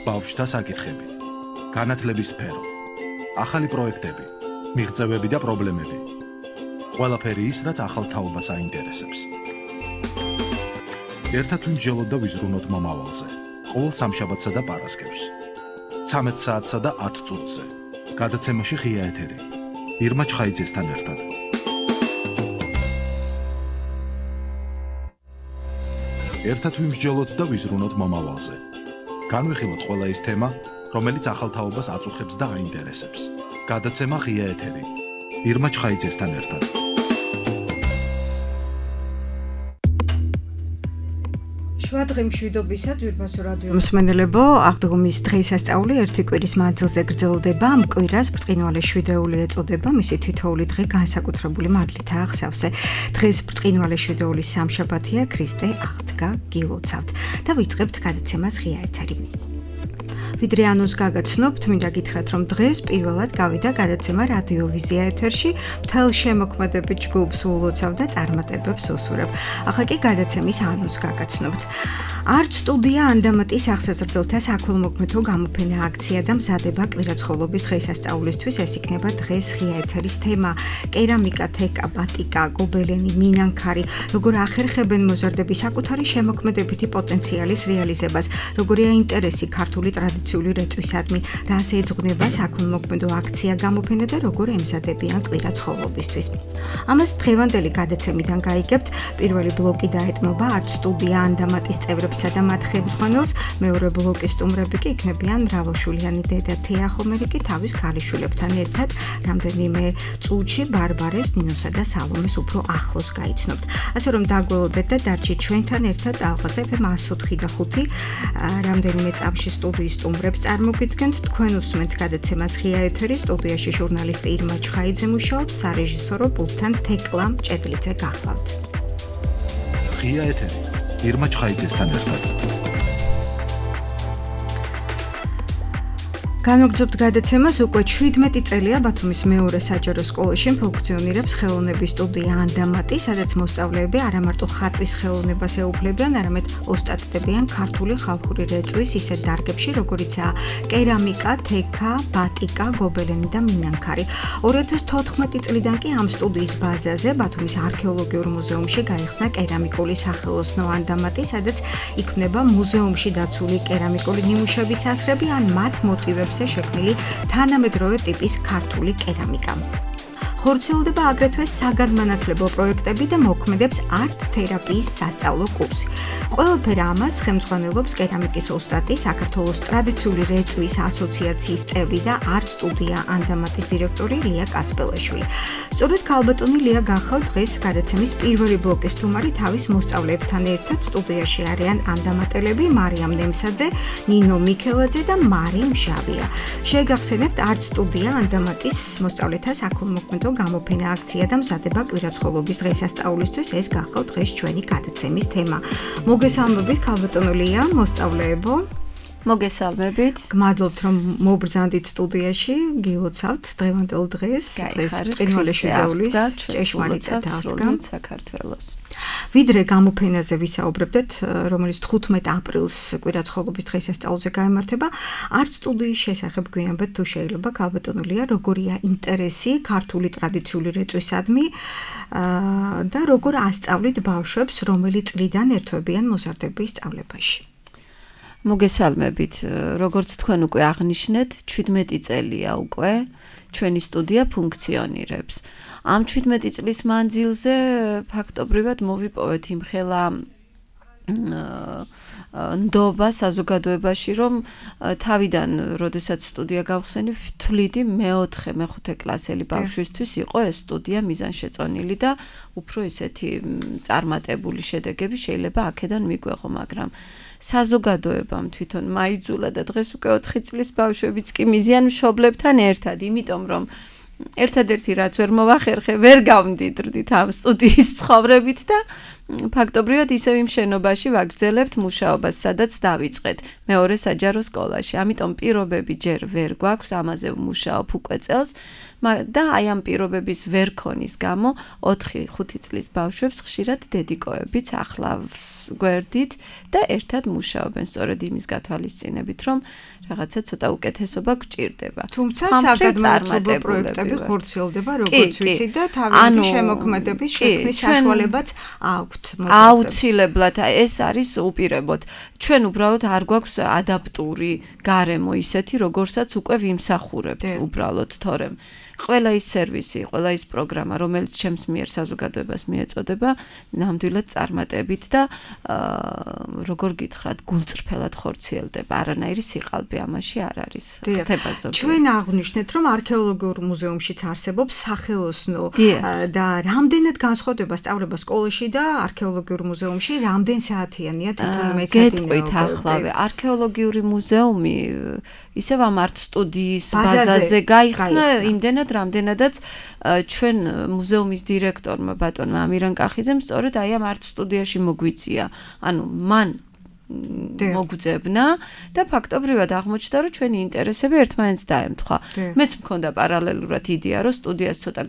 ბავშვთა საკითხები, განათლების სფერო, ახალი პროექტები, მიღწევები და პრობლემები. ყველაფერი ის, რაც ახალ თაობას აინტერესებს. ერთად ვიმსჯელოთ და ვიზრუნოთ მომავალზე. ყოველ სამშაბათსა და პარასკევს. 13 საათსა და 10 წუთზე. გადაცემაში ღია ეთერი. ირმა ჩხაიძესთან ერთად. ერთად ვიმსჯელოთ და ვიზრუნოთ მომავალზე. განვიხილოთ ყველა ის თემა, რომელიც ახალ თაობას აწუხებს და აინტერესებს. გადაცემა ღია ეთერი. ირმა ჩხაიძესთან ერთად. შვადღი მშვიდობისა ძვირფასო რადიო მსმენელებო, აღდგომის დღესასწაული ერთი კვირის მანძილზე გრძელდება. ამ კვირას ბრწყინვალე შვიდეული ეწოდება, მისი თითოეული დღე განსაკუთრებული მადლითაა აღსავსე. დღეს ბრწყინვალე შვიდეულის სამშაბათია, ქრისტე აღსდგა გილოცავთ და ვიწყებთ გადაცემას ღია ეთერი. ვიდრე ანონს გაგაცნობთ, მინდა გითხრათ, რომ დღეს პირველად გავიდა გადაცემა რადიოვიზია ეთერში, მთელ შემოქმედებით ჯგუფს ულოცავ და წარმატებებს უსურებ. ახლა კი გადაცემის ანონს გაგაცნობთ. არტ სტუდია ანდამატის აღსაზრდელთა საქველმოქმედო გამოფენა აქცია და მზადება კვირაცხოვლობის დღესასწაულისთვის. ეს იქნება დღეს ღია ეთერის თემა. კერამიკა, თეკა, ბატიკა, გობელენი, მინანქარი, როგორ ახერხებენ მოზარდები საკუთარი შემოქმედებითი პოტენციალის რეალიზებას, როგორია ინტერესი ქართული ტრადიციული რეწვისადმი, რას ეძღვნება საქველმოქმედო აქცია გამოფენა და როგორ ემზადებიან კვირაცხოვლობისთვის. ამას დღევანდელი გადაცემიდან გაიგებთ. პირველი ბლოკი დაეთმობა არტ სტუდია ანდამატის წევრებს და მათ ხელმძღვანელს, მეორე ბლოკის სტუმრები კი იქნებიან მრავალშვილიანი დედა თეა ხომერიკი თავის ქალიშვილებთან ერთად რამდენიმე წუთში ბარბარეს, ნინოსა და სალომეს უფრო ახლოს გაიცნობთ. ასე რომ დაგველოდეთ და დარჩით ჩვენთან ერთად ალღაზე FM 104 და 5 რამდენიმე წამში სტუდიის სტუმრებს წარმოგიდგენთ. თქვენ უსმენთ გადაცემას ღია ეთერი, სტუდიაში ჟურნალისტი ირმა ჩხაიძე მუშაობს, სარეჟისორო პულტთან თეკლა მჭედლიძე გახლავთ. ღია ეთერი ირმა ჩხაიძესთან ერთად. განვაგრძობთ გადაცემას. უკვე 17 წელია ბათუმის მეორე საჯარო სკოლაში ფუნქციონირებს ხელოვნების სტუდია ანდამატი, სადაც მოსწავლეები არა მარტო ხატვის ხელოვნებას ეუფლებიან, არამედ ოსტატდებიან ქართული ხალხური რეწვის ისეთ დარგებში, როგორიცაა კერამიკა, თეკა, ბატიკა, გობელენი და მინანქარი. 2014 წლიდან კი ამ სტუდიის ბაზაზე ბათუმის არქეოლოგიურ მუზეუმში გაიხსნა კერამიკული სახელოსნო ანდამატი, სადაც იქმნება მუზეუმში დაცული კერამიკული ნიმუშების ასრები ან მათ მოტივებს შექმნილი თანამედროვე ტიპის ქართული კერამიკა. ხორციელდება აგრეთვე საგანმანათლებლო პროექტები და მოქმედებს არტ თერაპიის სასწავლო კურსი. ყველაფერ ამას ხელმძღვანელობს კერამიკის ოსტატი, საქართველოს ტრადიციული რეწვის ასოციაციის წევრი და არტ სტუდია ანდამატის დირექტორი ლია კასპელაშვილი. სწორედ ქალბატონი ლია გახავთ დღეს გადაცემის პირველი ბლოკის სტუმარი. თავის მოსწავლეებთან ერთად სტუდიაში არიან ანდამატელები მარიამ ნემსაძე, ნინო მიქელაძე და მარი მჟავია. შეგახსენებთ არტ სტუდია ანდამატის მოსწავლეთა საქველმოქმედო გამოფენა აქცია და მზადება კვირაცხოვლობის დღესასწაულისთვის. ეს გახავთ დღეს ჩვენი გადაცემის თემა. მოგესალმებით ქალბატონო ლია, მოსწავლეებო. მოგესალმებით. გმადლობთ რომ მობრძანდით სტუდიაში, გილოცავთ დღევანდელ დღეს. დღეს ბრწყინვალე შვიდეულის ჭეშმარიტად აღდგა საქართველოს. ვიდრე გამოფენაზე ვისაუბრებდეთ, რომელიც 15 აპრილს კვირაცხოვლობის დღესასწაულზე გაიმართება, არტ სტუდიის შესახებ გვიამბეთ თუ შეიძლება ქალბატონო ლია, როგორია ინტერესი ქართული ტრადიციული რეწვისადმი და როგორ ასწავლით ბავშვებს, რომელი წლიდან ერთვებიან მოზარდების სწავლებაში. მოგესალმებით. როგორც თქვენ უკვე აღნიშნეთ, 17 წელია უკვე ჩვენი სტუდია ფუნქციონირებს. ამ 17 წლის მანძილზე ფაქტობრივად მოვიპოვეთ იმხელა ნდობა საზოგადოებაში, რომ თავიდან, როდესაც სტუდია გავხსენი, ვთვლიდი მე-4 კლასელი ბავშვისთვის იყო ეს სტუდია მიზანშეწონილი და უფრო ისეთი წარმატებული შედეგები შეიძლება აქედან მიგვეღო, მაგრამ საზოგადოებამ თვითონ მაიძულა და დღეს უკვე 4 წლის ბავშვებიც კი მიზიან მშობლებთან ერთად, იმიტომ რომ ერთადერთი რაც ვერ მოვახერხე, ვერ გავმდიდრდით ამ სტუდიის ცხოვრებით და ფაქტობრივად ისევ იმ შენობაში ვაგრძელებთ მუშაობას, სადაც დავიწყეთ, მეორე საჯარო სკოლაში. ამიტომ პირობები ჯერ ვერ გვაქვს, ამაზე ვმუშაობ უკვე წელს და აი ამ პირობების ვერ ქონის გამო 4-5 წლის ბავშვებს ხშირად დედიკოებიც ახლავს გვერდით და ერთად მუშაობენ სწორედ იმის გათვალისწინებით, რომ რაღაცა ცოტა უკეთესობა გვჭირდება. თუმცა საგადმართლობო პროექტები ხორციელდება, როგორც ვიცით და თავისი შემოქმედების შექმნის საშუალებაც აქვთ. აუცილებლად ეს არის უპირებოდ. ჩვენ უბრალოდ არ გვაქვს ადაპტური გარემო ისეთი, როგორსაც უკვე ვიმსახურებთ უბრალოდ, თორემ ყველა ის სერვისი, ყველა ის პროგრამა, რომელიც ჩემს მიერ საზოგადოებას მიეწოდება, ნამდვილად წარმატებით და როგორ გითხრათ, გულწრფელად ხორციელდება. არანაირი სიყალბე ამაში არ არის. ხდება ზოგადად. ჩვენ აღვნიშნეთ, რომ არქეოლოგიურ მუზეუმშიც არსებობს სახელოსნო და რამდენად განსხვავდება სწავლება სკოლაში და არქეოლოგიურ მუზეუმში, რამდენ საათიანია თვითონ მეცადინეობა? გეტყვით ახლავე, არქეოლოგიური მუზეუმი ისევ ამ არტ სტუდიის ბაზაზე გაიხსნა იმდენად რამდენადაც ჩვენ მუზეუმის დირექტორმა ბატონმა ამირან კახიძემ სწორედ აი ამ არტ სტუდიაში მოგვიწია. ანუ მან მოგვძებნა და ფაქტობრივად აღმოჩნდა, რომ ჩვენი ინტერესები ერთმანეთს დაემთხვა. მეც მქონდა პარალელურად იდეა, რომ სტუდიას ცოტა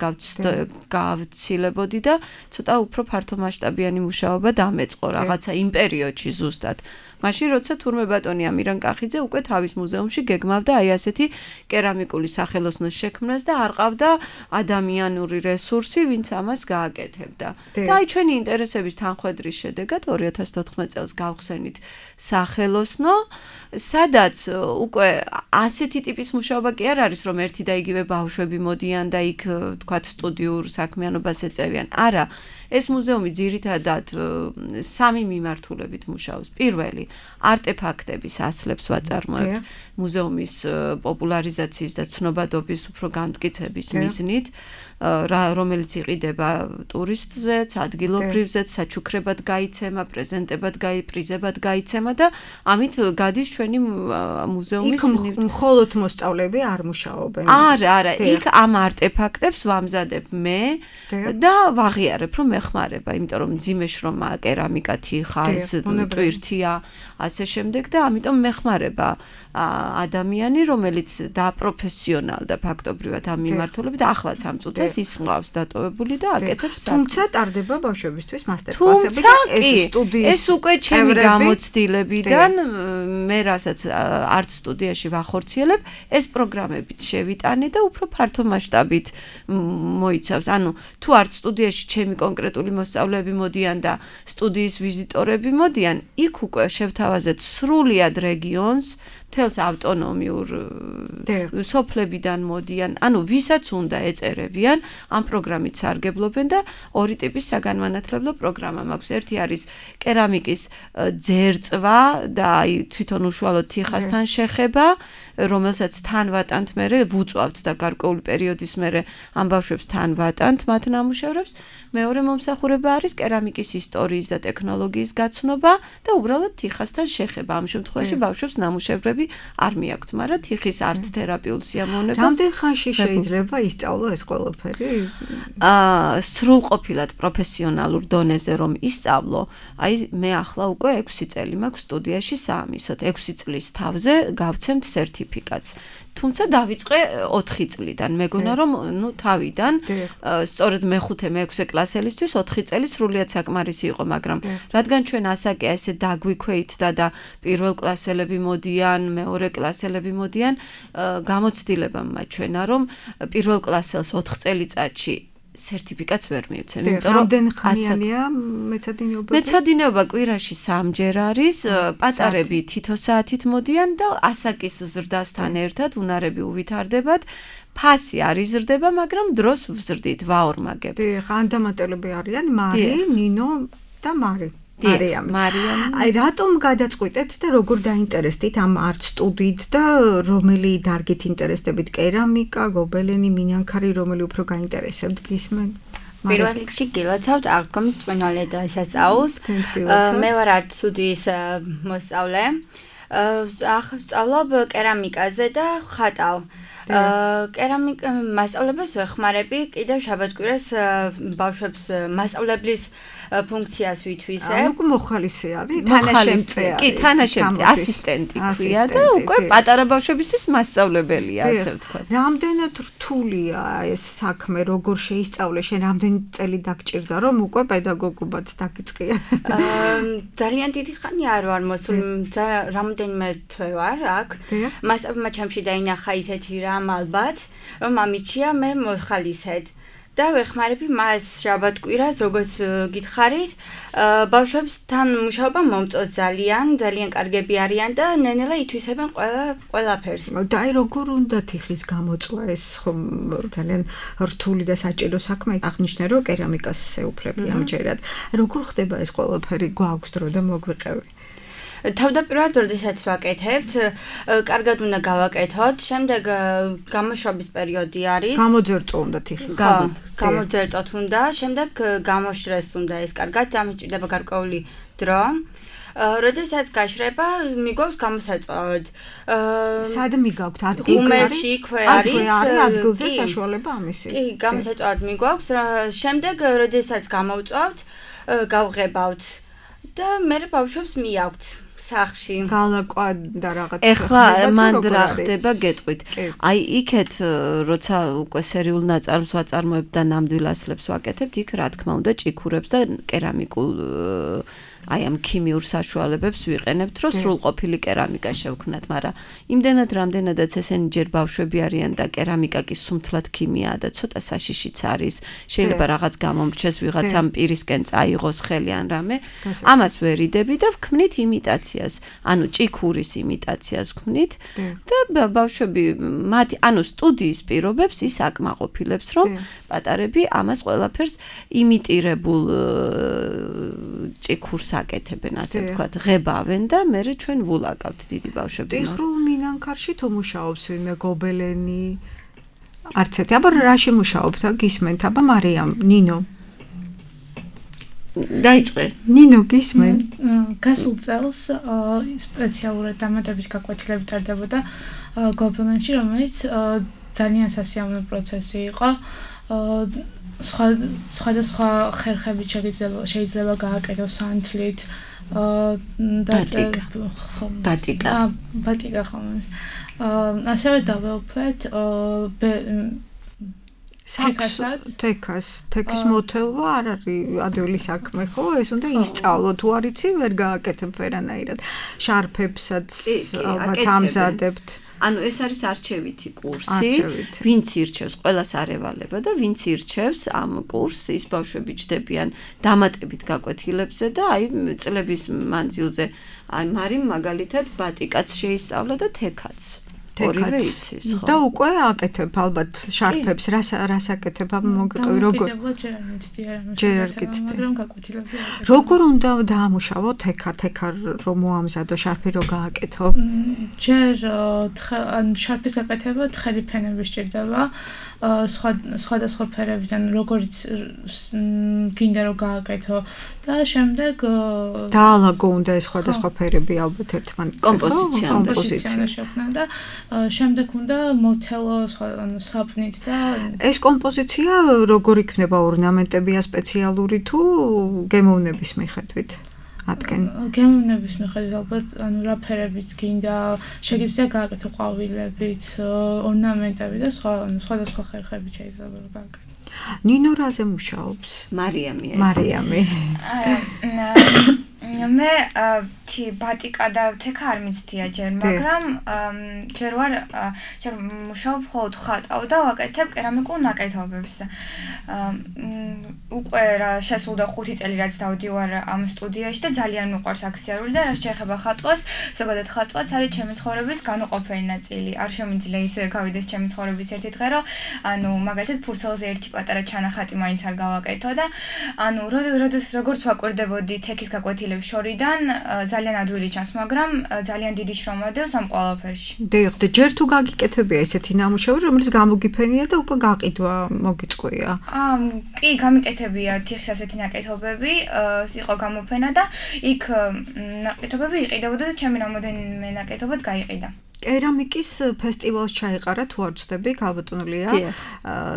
გავცილებოდი და ცოტა უფრო ფართომასშტაბიანი მუშაობა დამეწყო რაღაცა იმ პერიოდში ზუსტად. მაშინ როცა თურმე ბატონი ამირან კახიძე უკვე თავის მუზეუმში გეგმავდა აი ასეთი კერამიკული სახელოსნოს შექმნას და არ ყავდა ადამიანური რესურსი, ვინც ამას გააკეთებდა. და აი ჩვენი ინტერესების თანხვედრის შედეგად 2014 წელს გავხსენით სახელოსნო, სადაც უკვე ასეთი ტიპის მუშაობა კი არ არის, რომ ერთი და იგივე ბავშვები მოდიან და იქ თქვათ სტუდიურ საქმიანობას ეწევიან. არა, ეს მუზეუმი ძირითადად 3 მიმართულებით მუშაობს. პირველი, არტეფაქტების ასლებს ვაწარმოებთ მუზეუმის პოპულარიზაციის და ცნობადობის უფრო გამტკიცების მიზნით, რომელიც იყიდება ტურისტზეც, ადგილობრივზეც, საჩუქრებად გაიცემა, პრეზენტებად პრიზებად გაიცემა და ამით გადის ჩვენი მუზეუმის მხოლოდ მოსწავლეები არ მუშაობენ. არა, იქ ამ არტეფაქტებს ვამზადებ მე და ვაღიარებ, რომ ეხმარება, იმიტომ რომ მძიმე შრომა, კერამიკა, თიხა, ეს ტვირთია, ასე შემდეგ და ამიტომ მეხმარება ადამიანი, რომელიც დაპროფესიონალდა ფაქტობრივად ამ მიმართულებით, ახლაც ამ წუთას ის მყავს დატოვებული და აკეთებს საქმეს. თუმცა ტარდება ბავშვებისთვის მასტერკლასები და ეს სტუდიის ეს უკვე ჩემი გამოცდილებიდან მე რასაც არტ სტუდიაში ვახორციელებ, ეს პროგრამებიც შევიტანე და უფრო ფართო მასშტაბით მოიცავს. ანუ თუ არტ სტუდიაში ჩემი კონკრეტული მოსწავლეები მოდიან და სტუდიის ვიზიტორები მოდიან, იქ უკვე შევთავაზეთ სრულად რეგიონს, მთელს ავტონომიურ სოფლებიდან მოდიან, ანუ ვისაც უნდა ეწერებიან, ამ პროგრამით სარგებლობენ და ორი ტიპის საგანმანათლებლო პროგრამა მაქვს. ერთი არის კერამიკის ძერწვა და აი თვითონ უშუალოდ თიხასთან შეხება, რომელსაც თან ვატანთ მერე, ვუწვავთ და გარკვეული პერიოდის მერე ამ ბავშვებს თან ვატანთ მათ ნამუშევრებს. მეორე მომსახურება არის კერამიკის ისტორიის და ტექნოლოგიის გაცნობა და უბრალოდ თიხასთან შეხება. ამ შემთხვევაში ბავშვებს ნამუშევრები არ მიაქვთ, მაგრამ თიხის არტ თერაპიულ სიამოვნებას. რამდენ ხანში შეიძლება ისწავლო ეს ყველაფერი? სრულყოფილად პროფესიონალურ დონეზე რომ ისწავლო, აი მე ახლა უკვე 6 წელი მაქვს სტუდიაში საამისოდ. 6 წლის თავზე გავცემთ სერტიფიკატს. თუმცა დავიწყე 4 წლიდან. მეგონა რომ თავიდან სწორედ მე-5-მე-6 კლასელისთვის 4 წელი სრულიად საკმარისი იყო, მაგრამ რადგან ჩვენ ასაკი ესე დაგვიქვეითდა და პირველ კლასელები მოდიან, მეორე კლასელები მოდიან, გამოცდილება მაჩვენა რომ პირველ კლასელს 4 წელიწადში სერტიფიკატს ვერ მივცემ, იმიტომ რომ რამდენ ხანიანია მეცადინეობა? მეცადინეობა კვირაში 3 ჯერ არის, პატარები თითო საათით მოდიან და ასაკის ზრდასთან ერთად უნარები უვითარდებათ. ფასი არ იზრდება, მაგრამ დროს ვზრდით, ვაორმაგებთ. ან დამატებები არიან მარი, ნინო და მარი. მარიამი. აი რატომ გადაწყვიტეთ და როგორ დაინტერესდით ამ არტ სტუდიით და რომელი დარგით ინტერესდებით? კერამიკა, გობელენი, მინანქარი, რომელი უფრო გაინტერესებთ გისმენ? პირველ რიგში გილოცავთ აღდგომის ბრწყინვალე დღესასწაულს. მე ვარ არტ სტუდიის მოსწავლე. სწავლობ კერამიკაზე და ხატავ. კერამიკა მასწავლებლებს ვეხმარები, კიდევ შაბათ-კვირას ბავშვებს მასწავლებლის ფუნქციას ვითვისებ. ანუ მოხალისე არის, თანაშემწე. კი, თანაშემწე, ასისტენტი ქვია და უკვე პატარა ბავშვებისთვის მასწავლებელია, ასე ვთქვათ. რამდენად რთულია ეს საქმე, როგორ შეისწავლე, შენ რამდენი წელი დაგჭირდა, რომ უკვე პედაგოგობად დაგიწყია? ძალიან დიდი ხანი არ ვარ მოსული, რამდენიმე თვე ვარ აქ. მასწავლებელმა ჩემში დაინახა ისეთი რამ ალბათ, რომ ამიჩია მე მოხალისედ. და ვეხმარები მას შაბათ-კვირას, როგორც გითხარით, ბავშვებთან მუშაობა მომწონს ძალიან კარგები არიან და ნენელა ითვისებენ ყველაფერს. და აი როგორ უნდა თიხის გამოწვა ეს ხომ ძალიან რთული და საჭირო საქმე, აღნიშნე რომ კერამიკას ეუფლები ამჯერად. როგორ ხდება ეს ყველაფერი, გვაქვს დრო და მოგვიყევი? თავდაპირველად, როდესაც ვაკეთებთ, კარგად უნდა გავაკეთოთ, შემდეგ გამოშვების პერიოდი არის. გამოძერწო უნდა თიხი. გამოძერწოთ უნდა, შემდეგ გამოშრეს უნდა ეს კარგად, ამით ჭირდება გარკვეული დრო. როდესაც გაშრება, მიგვაქვს გამოსაწვავად. სად მიგაქვთ? ადგილში იქვე არის ადგილზე საშუალება ამისი. კი, გამოსაწვავად მიგვაქვს. შემდეგ, როდესაც გამოვწვავთ, გავღებავთ და მე ბავშვებს მიაქვთ. სახში გალაკვა და რაღაც ეხლა მან რა ხდება გეტყვით აი იქეთ როცა უკვე სერიულ ნაწარმს ვაწარმოებ და ნამდვილ ასლებს ვაკეთებ იქ რა თქმა უნდა ჭიქურებს და კერამიკულ აი ამ ქიმიურ საშუალებებს ვიყენებთ რომ სრულყოფილი კერამიკა შევქმნათ მაგრამ იმდენად რამდენადაც ესენი ჯერ ბავშვები არიან და კერამიკა კი სუმთლად ქიმიაა და ცოტა საშიშიც არის შეიძლება რაღაც გამომრჩეს ვიღაცამ პირისკენ წაიღოს ხელი ან რამე ამას ვერიდები და ვქმნით იმიტაციას ანუ ჭიქურის იმიტაციას ვქმნით და ბავშვები მათი ანუ სტუდიის პირობებს ის აკმაყოფილებს რომ პატარები ამას ყველაფერს იმიტირებულ ჭიქურს აკეთებენ ასე ვთქვათ ღებავენ და მე ჩვენ ვულაკავთ დიდი ბავშვები ტიხრულ მინანქარში თუ მუშაობს ვინმე გობელენი არც ერთი აბა რაში მუშაობთ გისმენთ აბა მარიამ ნინო დაიწყე ნინო გისმენ გასულ წელს სპეციალურად დამატების გაკვეთილებით ტარდებოდა გობელენში რომელიც ძალიან სასიამოვნო პროცესი იყო სხვადასხვა ხერხებით შეიძლება გააკეთოს სანთლით ბატიკა ხომ ასევე დავეუფლეთ თექის მოთელვა არ არის ადვილი საქმე ხო ეს უნდა ისწავლო თუ არ იცი ვერ გააკეთებ ვერანაირად შარფებსაც ალბათ ამზადებთ ანუ ეს არის არჩევითი კურსი, ვინც ირჩევს, ყველას არ ევალება და ვინც ირჩევს ამ კურსს, ის ბავშვები ჯდებიან დამატებით გაკვეთილებზე და აი წლების მანძილზე აი მარიმ მაგალითად ბატიკაც შეისწავლა და თექაც. ორივე იცის, ხო? და უკვე აკეთებ ალბათ შარფებს, რას აკეთებ მოგიყევი როგორ? ჯერ არ გიცდი. მაგრამ გაკვეთილებზე. როგორ უნდა დაამუშავო თექა რომ მოამზადო შარფი რო გააკეთო? ჯერ შარფის გაკეთება თხელი ფენები სჭირდება. სხვადასხვა ფერებიდან როგორიც გინდა რომ გააკეთო და შემდეგ დაალაგო უნდა ეს სხვადასხვა ფერები ალბათ ერთმანეთს კომპოზიცია შექმნა და შემდეგ უნდა მოვთელო ანუ საპნით და ეს კომპოზიცია როგორ იქნება ორნამენტებია სპეციალური თუ გემოვნების მიხედვით ატკენ გემოვნების მიხედვით ალბათ ანუ რა ფერებიც გინდა შეგიძლია გააკეთო ყვავილებით ორნამენტები და სხვადასხვა ხერხებით შეიძლება გააკეთო ნინო რაზე მუშაობს მარიამი მე ბატიკა და თექა არ მიცდია ჯერ, მაგრამ ჯერ მუშაობ მხოლოდ ხატავ და ვაკეთებ კერამიკულ ნაკეთობებს. უკვე შესულდა 5 წელი რაც დავდივარ ამ სტუდიაში და ძალიან მიყვარს აქციური და რაც შეეხება ხატვას, ზოგადად ხატვაც არის ჩემი ცხოვრების განუყოფელი ნაწილი. არ შემიძლია ისე გავიდეს ჩემი ცხოვრების ერთი დღე, რომ ანუ მაგალითად ფურცელზე ერთი პატარა ჩანახატი მაინც არ გავაკეთო და ანუ როგორც ვაკვირდებოდი თექის გაკვეთილების მასწავლებლებს შორიდან ძალიან ადვილი ჩანს, მაგრამ ძალიან დიდი შრომა დევს ამ ყველაფერში. დიახ, და ჯერ თუ გაგიკეთებია ესეთი ნამუშევარი, რომელიც გამოგიფენია და უკვე გაყიდვა მოგიწყვია. კი, გამიკეთებია თიხის ასეთი ნაკეთობები, იყო გამოფენა და იქ ნაკეთობები იყიდებოდა და ჩემი რამოდენიმე ნაკეთობაც გაიყიდა. კერამიკის ფესტივალს ჩაეყარა თუ არ ვცდები, ქალბატონია,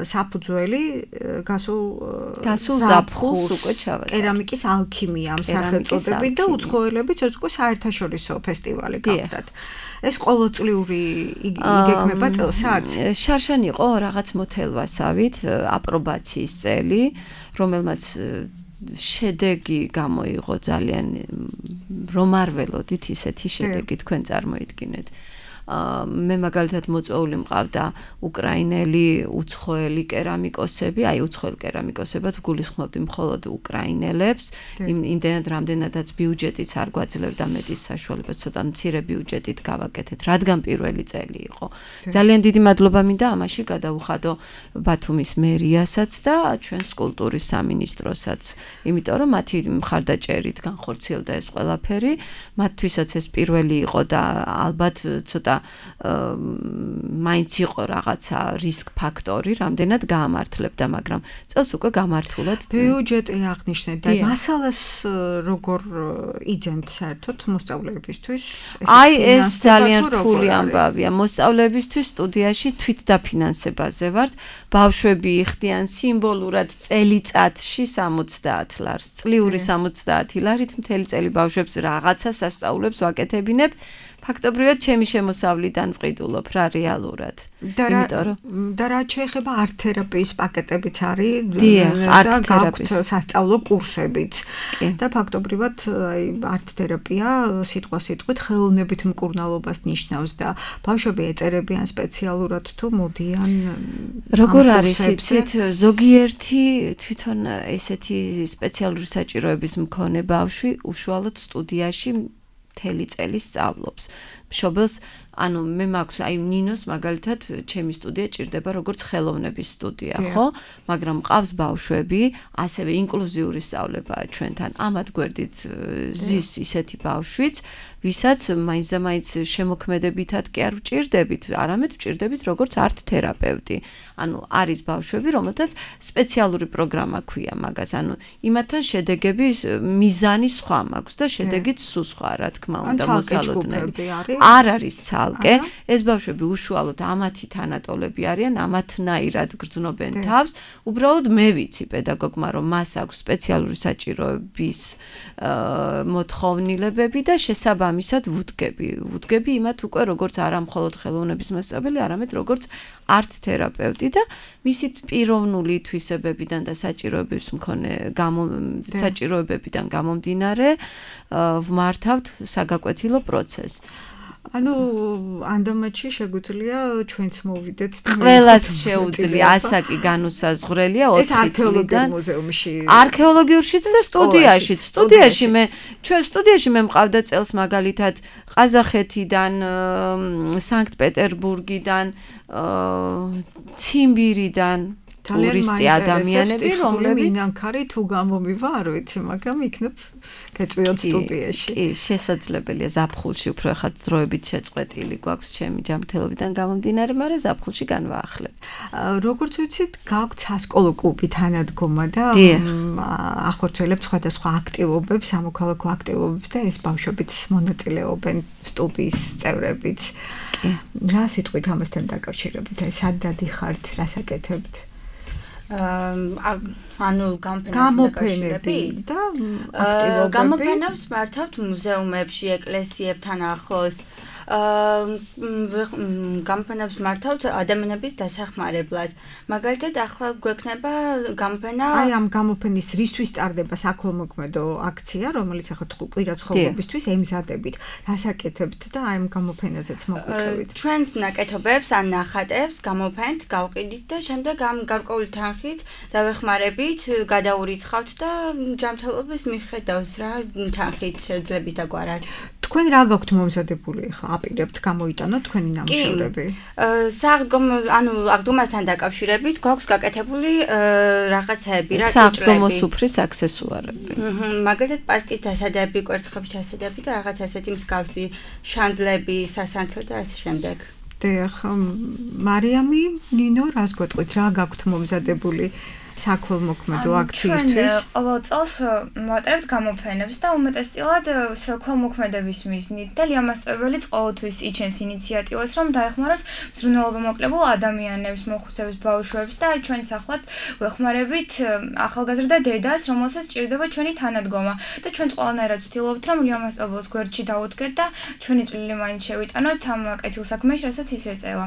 საფუძველი გასულ ზაფხულს უკვე ჩავატარა. კერამიკის ალქიმია ამ სახელწოდებით და უცხოელებიც უკვე საერთაშორისო ფესტივალი გახდათ. ეს ყოველწლიური იგეგმება წელსაც? შარშან იყო რაღაც მოთელვასავით აპრობაციის წელი, რომელმაც შედეგი გამოიღო ძალიან რომ არ ველოდით ისეთი შედეგი თქვენ წარმოიდგინეთ. მე მაგალითად მოწვეული მყავდა უკრაინელი უცხოელი კერამიკოსები, აი უცხოელ კერამიკოსებად გულისხმობდი მხოლოდ უკრაინელებს, იმდენად რამდენადაც ბიუჯეტიც არ გვაძლევდა მეტის საშუალებას, ცოტა მცირე ბიუჯეტით გავაკეთეთ, რადგან პირველი წელი იყო. ძალიან დიდი მადლობა მინდა ამაში გადაუხადო ბათუმის მერიასაც და ჩვენს კულტურის სამინისტროსაც, იმიტომ რომ მათი მხარდაჭერით განხორციელდა ეს ყველაფერი, მათთვისაც ეს პირველი იყო და ალბათ ცოტა მაინც იყო რაღაცა რისკ ფაქტორი, რამდენად გაამართლებდა, მაგრამ წელს უკვე გამართულად. ბიუჯეტი აღნიშნეთ და მასალას როგორ იძენთ საერთოდ მოსწავლეებისთვის? აი ეს ძალიან რთული ამბავია. მოსწავლეებისთვის სტუდიაში თვითდაფინანსებაზე ვართ. ბავშვები იხდიან სიმბოლურად წელიწადში 60 ლარს. წლიური 60 ლარით მთელი წელი ბავშვებს რაღაცა სასწაულებს ვაკეთებინებ. ფაქტობრივად ჩემი შემოსავლიდან ვყიდულობ რა რეალურად. და რა შეეხება არტ თერაპიის პაკეტებიც არის და გაქვთ სასწავლო კურსებიც. და ფაქტობრივად აი არტ თერაპია სიტყვით ხელოვნებით მკურნალობას ნიშნავს და ბავშვები ეწერებიან სპეციალურად თუ მოდიან. როგორ არის იცით, ზოგიერთი თვითონ ესეთი სპეციალური საჭიროების მქონე ბავშვი უშუალოდ სტუდიაში მთელი წელი სწავლობს. მშობელს, ანუ მე მაქვს, აი ნინოს მაგალითად ჩემი სტუდია ჭირდება როგორც ხელოვნების სტუდია, ხო? მაგრამ მყავს ბავშვები, ასევე ინკლუზიური სწავლებაა ჩვენთან. ამათ გვერდით ზის ისეთი ბავშვიც, ვისაც მაინც და მაინც შემოქმედებითად კი არ ვჭირდებით, არამედ ვჭირდებით როგორც არტ თერაპევტი. ანუ არის ბავშვები, რომელთაც სპეციალური პროგრამა ქვია მაგას, ანუ იმათთან შედეგების მიზანი სხვა მაქვს და შედეგიც სულ სხვა, რა თქმა უნდა, მოსალოდნელი. არ არის ცალკე, ეს ბავშვები უშუალოდ ამათი თანატოლები არიან, ამათნაირად გრძნობენ თავს. უბრალოდ მე ვიცი პედაგოგმა, რომ მას აქვს სპეციალური საჭიროების მოთხოვნილებები და შესაბამისად ვუდგები იმათ უკვე როგორც არა მხოლოდ ხელოვნების მასწავლებელი, არამედ როგორც არტ თერაპევტი და მისი პიროვნული თვისებებიდან და საჭიროებებიდან გამომდინარე ვმართავთ საგაკვეთილო პროცესს. ანუ ანდამატში შეგვიძლია ჩვენც მოვიდეთ და ყველას შეუძლია, ასაკი განუსაზღვრელია 4 წლიდან მუზეუმში, არქეოლოგიურშიც და სტუდიაშიც. ჩვენ სტუდიაში მე მყავდა წელს მაგალითად ყაზახეთიდან, სანქტ-პეტერბურგიდან, ციმბირიდან ტურისტი ადამიანები, რომლებიც მინანქარი თუ გამომივა, არ ვიცი, მაგრამ იქნებ გეწვიოთ სტუდიაში. კი, შესაძლებელია ზაფხულში უფრო ხათ დროებით შეწყვეტილი გვაქვს ჩემი ჯანმრთელობიდან გამომდინარე, მაგრამ ზაფხულში განვაახლებთ. როგორც ვიცით, გაქვთ სასკოლო კლუბი თანადგომა და ახორციელებთ სხვადასხვა აქტივობებს, სამოქალაქო აქტივობებს და ეს ბავშვებიც მონაწილეობენ, სტუდიის წევრებიც. რა სიტყვით ამასთან დაკავშირებით, აი სად დადიხართ, რას აკეთებთ? ანუ გამოფენები და აქტივობები. გამოფენებს მართავთ მუზეუმებში, ეკლესიებთან ახლოს. გამოფენებს მართავთ ადამიანების დასახმარებლად. მაგალითად, ახლა გვექნება გამოფენა. აი ამ გამოფენის რისთვის ტარდება საქველმოქმედო აქცია, რომელიც ახლა კვირა ცხოვრებისთვის ემზადებით. რას აკეთებთ და აი ამ გამოფენაზეც მოგვიყვებით. ჩვენს ნაკეთობებს ან ნახატებს გამოფენთ, გავყიდით და შემდეგ ამ გარკვეული თანხით დავეხმარებით, გადაურიცხავთ და ჯანმრთელობის მიხედავს რა თანხით შეძლებით დაგვარად. თქვენ რა გაქვთ მომზადებული ახლა აპირებთ გამოიტანოთ თქვენი ნამუშევრები? აღდგომასთან დაკავშირებით გვაქვს გაკეთებული რაღაცები, სააღდგომო სუფრის აქსესუარები. მაგალითად პასკის დასადები, კვერცხების დასადები და რაღაც ასეთი მსგავსი შანდლები, სასანთლე და ასე შემდეგ. დიახ, მარიამი, ნინო, რას გვეტყვით, რა გაქვთ მომზადებული საქველმოქმედო აქციისთვის? ყოველ წელს მოვატარებთ გამოფენებს და უმეტესწილად საქველმოქმედების მიზნით და ლიამასწავლებელი ყოველთვის იჩენს ინიციატივას, რომ დაეხმაროს მზრუნველობამოკლებულ ადამიანებს, მოხუცებს, ბავშვებს და ჩვენც ახლად ვეხმარებით ახალგაზრდა დედას, რომელსაც სჭირდება ჩვენი თანადგომა და ჩვენც ყველანაირად ვცდილობთ, რომ ლიამასწავლებელს გვერდში დავუდგეთ და ჩვენი წვლილი მაინც შევიტანოთ ამ კეთილსაქმეში, რასაც ის ეწევა.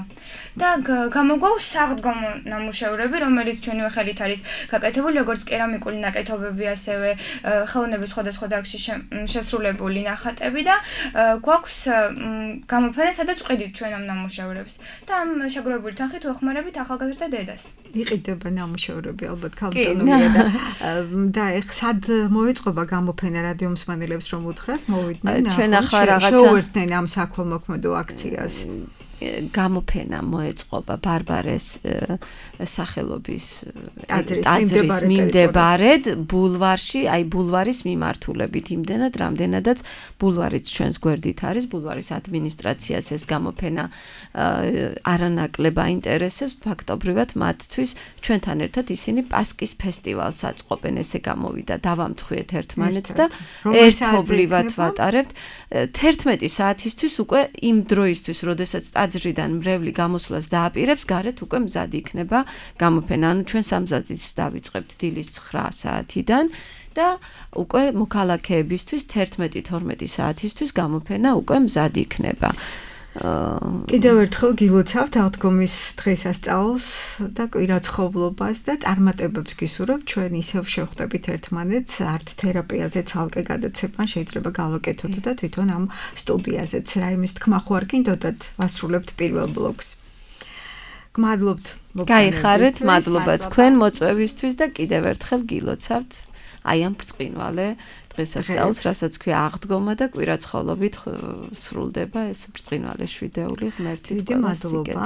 და გამოგვაქვს სააღდგომო ნამუშევრები, რომელიც ჩვენივე ხელით არის გაკეთებული როგორც კერამიკული ნაკეთობები, ასევე ხელოვნების სხვადასხვა დარგში შესრულებული ნახატები და გვაქვს გამოფენა, სადაც ვყიდით ჩვენ ამ ნამუშევრებს და ამ შეგროვებული თანხით ვეხმარებით ახალგაზრდა დედას. იყიდება ნამუშევრები ალბათ ქალბატონია და ეხ სად მოეწყობა გამოფენა რადიო მსმენელებს რომ უთხრათ მოვიდნენ ჩვენ ახლა რაღაცა შევერთდნენ ამ საქველმოქმედო აქციას. გამოფენა მოეწყობა ბარბარეს სახელობის ტაძრის მიმდებარედ ბულვარში, აი ბულვარის მიმართულებით იმდენად, რამდენადაც ბულვარიც ჩვენს გვერდით არის, ბულვარის ადმინისტრაციას ეს გამოფენა არანაკლებ აინტერესებს, ფაქტობრივად მათთვის ჩვენთან ერთად ისინი პასკის ფესტივალს აწყობენ, ესე გამოვიდა, დავამთხვიეთ ერთმანეთს და ერთობლივად ვატარებთ 11 საათისთვის უკვე იმ დროისთვის, როდესაც ტაძრიდან მრევლი გამოსვლას დააპირებს, გარეთ უკვე მზად იქნება გამოფენა. ანუ ჩვენ სამზადისს დავიწყებთ დილის 9 საათიდან და უკვე მოქალაქეებისთვის 11-12 საათისთვის გამოფენა უკვე მზად იქნება. კიდევ ერთხელ გილოცავთ აღდგომის დღესასწაულს და კვირაცხოვლობას და წარმატებებს გისურვებთ. ჩვენ ისევ შევხვდებით ერთმანეთს არტ თერაპიაზე ცალკე გადაცემან შეიძლება გავაკეთოთ და თვითონ ამ სტუდიაზეც რაიმეს თქმა ხო არ გინდოდათ ვასრულებთ პირველ ბლოკს. გმადლობთ. გაიხარეთ, მადლობა თქვენ მოწვევისთვის და კიდევ ერთხელ გილოცავთ აი ამ ბრწყინვალე დღესასწაულს, რასაც ქვია აღდგომა და კვირაცხოვლობით სრულდება ეს ბრწყინვალე შვიდეული ღმერთით ყველას იგეთ.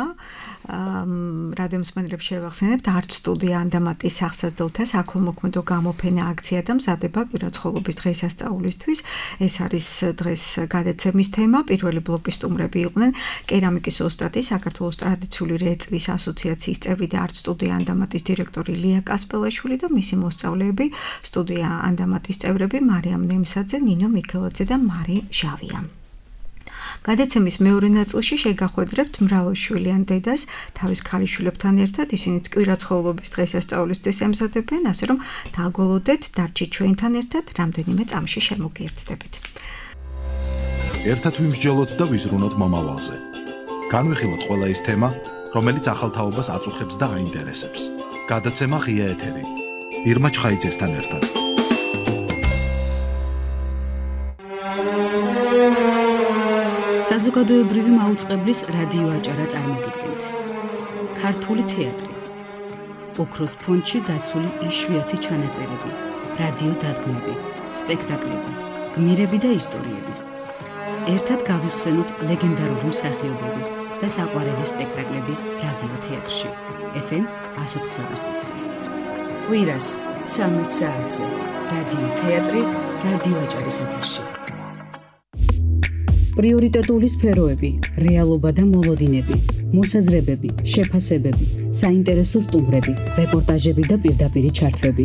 რადიო მსმენელებს შევახსენებთ არტ სტუდია ანდამატის სახსასდელთა საქველმოქმედო გამოფენა აქცია და მზადება კვირაცხოვლობის დღესასწაულისთვის. ეს არის დღეს გადაცემის თემა. პირველი ბლოკის სტუმრები იყვნენ კერამიკის ოსტატი, საქართველოს ტრადიციული რეწვის ასოციაციის წევრი და არტ სტუდია ანდამატის დირექტორი ლია კასპელაშვილი და მისი მოსწავლეები სტუდია ანდამატის წევრები მარიამ ნემსაძე, ნინო მიქელაძე და მარი ჟავია. გადაცემის მეორე ნაწილში შეგახვედრებთ მრავალშვილიან დედას თავის ქალიშვილებთან ერთად, ისინიც კვირაცხოვლობის დღესასწაულისთვის ემზადებიან, ასე რომ დაგველოდეთ, დარჩით ჩვენთან ერთად, რამდენიმე წამში შემოგიერთდებით. ერთად ვიმსჯელოთ და ვიზრუნოთ მომავალზე. განვიხილოთ ყველა ის თემა, რომელიც ახალთაობას აწუხებს და აინტერესებს. გადაცემა ღია ეთერი. ირმა ჩხაიძესთან ერთად. საზოგადოებრივი მაუწყებლის რადიო აჭარა წარმოგიდგენთ. ქართული თეატრი. ოქროს ფონდში დაცული იშვიათი ჩანაწერები, რადიო დადგმები, სპექტაკლები, გმირები და ისტორიები. ერთად გავიხსენოთ ლეგენდარული მსახიობები და საყვარელი სპექტაკლები რადიო თეატრში. FM 104.5. კვირას 13 საათზე. რადიო თეატრი, რადიო აჭარის ეთერში. პრიორიტეტული სფეროები, რეალობა და მოლოდინები, მოსაზრებები, შეფასებები, საინტერესო სტუმრები, რეპორტაჟები და პირდაპირი ჩართვები.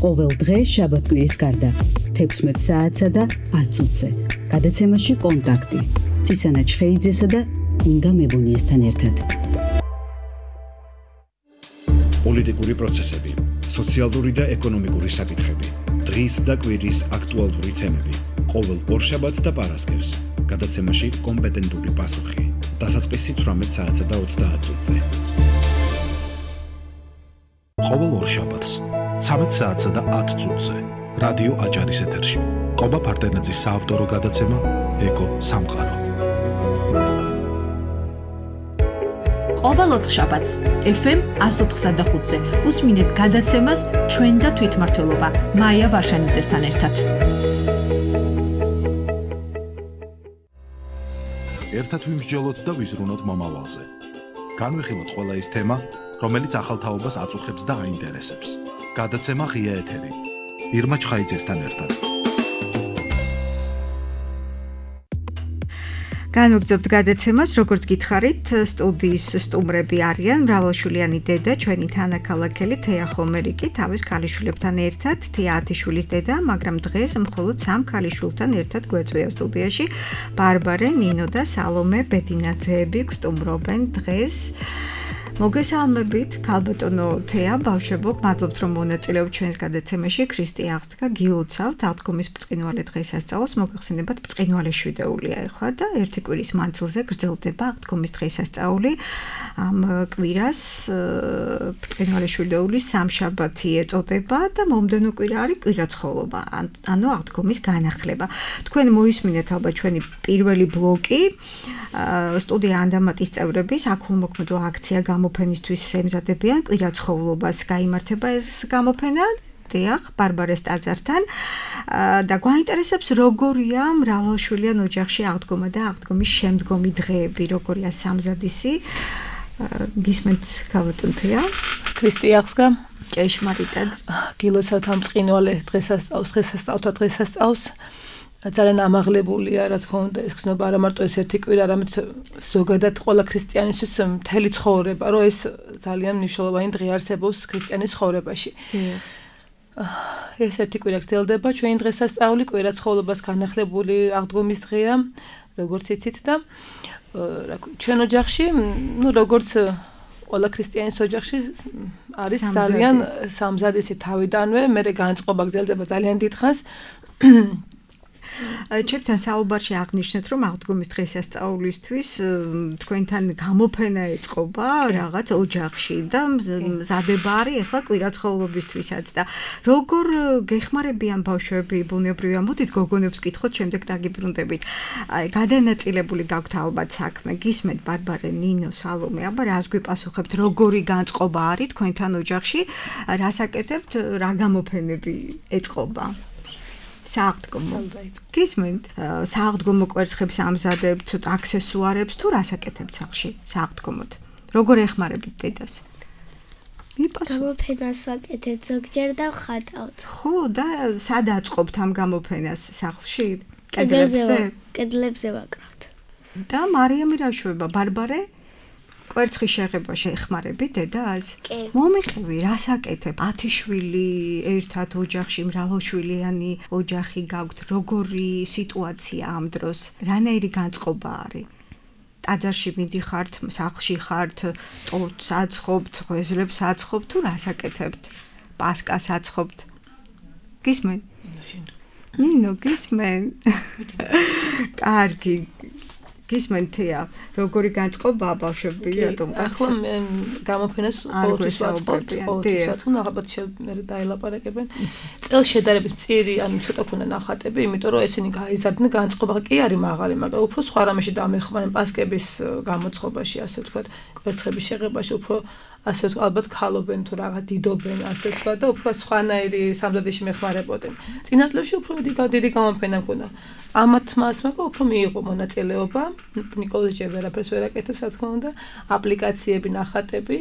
ყოველ დღე შაბათ-კვირის გარდა 16 საათსა და 10 წუთზე. გადაცემაში კონტაქტი ცისანა ჩხეიძესა და ინგა მებონიესთან ერთად. პოლიტიკური პროცესები, სოციალური და ეკონომიკური საკითხები, დღის და კვირის აქტუალური თემები. ყოველ ორშაბათს და პარასკევს. გადაცემაში კომპეტენტური პასუხი. დასაწყისი 18 საათსა და 30 წუთზე. ყოველ ორშაბათს 13 საათსა და 10 წუთზე. რადიო აჭარის ეთერში. კობა ფარდენაძის საავტორო გადაცემა ეკო სამყარო. ყოველ ოთხშაბათს FM 104.5-ზე უსმინეთ გადაცემას ჩვენ და თვითმმართველობა მაია ვარშანიძესთან ერთად. ერთად ვიმსჯელოთ და ვიზრუნოთ მომავალზე. განვიხილოთ ყველა ის თემა, რომელიც ახალ თაობას აწუხებს და აინტერესებს. გადაცემა ღია ეთერი. ირმა ჩხაიძესთან ერთად. განვაგრძობთ გადაცემას, როგორც გითხარით, სტუდიის სტუმრები არიან მრავალშვილიანი დედა, ჩვენი თანაქალაქელი თეა ხომერიკი, თავის ქალიშვილებთან ერთად, თეა 10 შვილის დედა, მაგრამ დღეს მხოლოდ 3 ქალიშვილთან ერთად გვეწვია სტუდიაში. ბარბარე, ნინო და სალომე ბედინაძეები გვსტუმრობენ დღეს. მოგესალმებით, ქალბატონო თეა, ბავშვებო, მადლობთ რომ მონაწილეობთ ჩვენს გადაცემაში. ქრისტე აღსდგა, გილოცავთ, აღდგომის ბრწყინვალე დღესასწაულს, მოგეხსენებათ, ბრწყინვალე შვიდეულია ახლა და ერთი კვირის მანძილზე გრძელდება აღდგომის დღესასწაული. ამ კვირას ბრწყინვალე შვიდეულის სამშაბათი ეწოდება და მომდევნო კვირა არის კვირაცხოვლობა, ანუ აღდგომის განახლება. თქვენ მოისმინეთ ალბათ ჩვენი პირველი ბლოკი, სტუდია ანდამატის წევრები საქველმოქმედო აქცია გამოფენისთვის ემზადებიან კვირაცხოვლობას. გაიმართება ეს გამოფენა დიახ, ბარბარეს ტაძართან და გვაინტერესებს როგორია მრავალშვილიან ოჯახში აღდგომა და აღდგომის შემდგომი დღეები, როგორია სამზადისი. გისმენთ ქალბატონ თეა? ქრისტე აღსდგა. ჭეშმარიტად. გილოცავთ ამ ბრწყინვალე დღესასწაულს. ძალიან ამაღლებულია, რა თქმა უნდა, ეს გზნობა არა მარტო ეს ერთი კვირა, არამედ ზოგადად ყველა ქრისტიანისთვის მთელი ცხოვრება, რომ ეს ძალიან მნიშვნელოვანი დღე არსებობს ქრისტიანის ცხოვრებაში. ეს ერთი კვირა გრძელდება, ჩვენი დღესასწაული კვირაცხოვლობას განახლებული აღდგომის დღეა, როგორც იცით და ჩვენ ოჯახში, როგორც ყველა ქრისტიანის ოჯახში არის ძალიან სამზადისი თავიდანვე, მერე განწყობა გრძელდება ძალიან დიდხანს. ჩემთან საუბარში აღნიშნეთ, რომ აღდგომის დღესასწაულისთვის თქვენთან გამოფენა ეწყობა რაღაც ოჯახში და მზადება არის ახლა კვირაცხოვლობისთვისაც და როგორ გეხმარებიან ბავშვები, ბუნებრივია, მოდით გოგონებს გითხოთ, შემდეგ დაგიბრუნდებით. გადანაწილებული გაქვთ ალბათ საქმე, გისმენთ ბარბარე, ნინო, სალომე, აბა რას გვიპასუხებთ, როგორი განწყობა არის თქვენთან ოჯახში, რას აკეთებთ, რა გამოფენები ეწყობა? სააღდგომო. გისმენთ? სააღდგომო კვერცხებს ამზადებთ, აქსესუარებს თუ რას აკეთებთ სახლში სააღდგომოდ? როგორ ეხმარებით დედას? გამოფენას ვაკეთებ ზოგჯერ და ვხატავთ. ხო, და სად აწყობთ ამ გამოფენას სახლში? კედლებზე? კედლებზე ვაკრავთ. და მარიამი რა შვება? ბარბარე? კვერცხის შეღებაში ეხმარებით დედას? მომიყევი, რას აკეთებ? 10 შვილი ერთად ოჯახში, მრავალშვილიანი ოჯახი გაქვთ, როგორი სიტუაცია ამ დროს? რანაირი განწყობა არის? ტაძარში მიდიხართ, სახლში ხართ, ტორტს აცხობთ, ღვეზლებს აცხობთ თუ რას აკეთებთ? პასკას აცხობთ? გისმენ? ნინო, გისმენ? კარგი. გისმენთ თეა, როგორი განწყობა ბავშვები, რატომ? ახლა მე გამოფენას ყოველთვის ვაწყობთ, ალბათ მე დაელაპარაკებენ. წელს შედარებით მწირი, ანუ ცოტა ქონდა ნახატები, იმიტომ რომ ესენი გაიზარდნენ, განწყობა კი არის მაღალი, მაგრამ უფრო სხვა რამეში დამეხმარენ პასკების გამოცხობაში, ასე ვთქვათ, კვერცხების შეღებაში, უფრო ასე ვთქვათ, ალბათ ქალობენ თუ რაღაც დიდობენ, ასე ვთქვათ და უფრო სხვანაირი სამზადისში მეხმარებოდნენ. წინა წლებში უფრო დიდი გამოფენა მქონდა. ამათ მასმა უფრო მიიღო მონაწილეობა, ნიკოლოზ ჯერვერაფერს ვერ აკეთებს, რა თქმა უნდა, აპლიკაციები, ნახატები,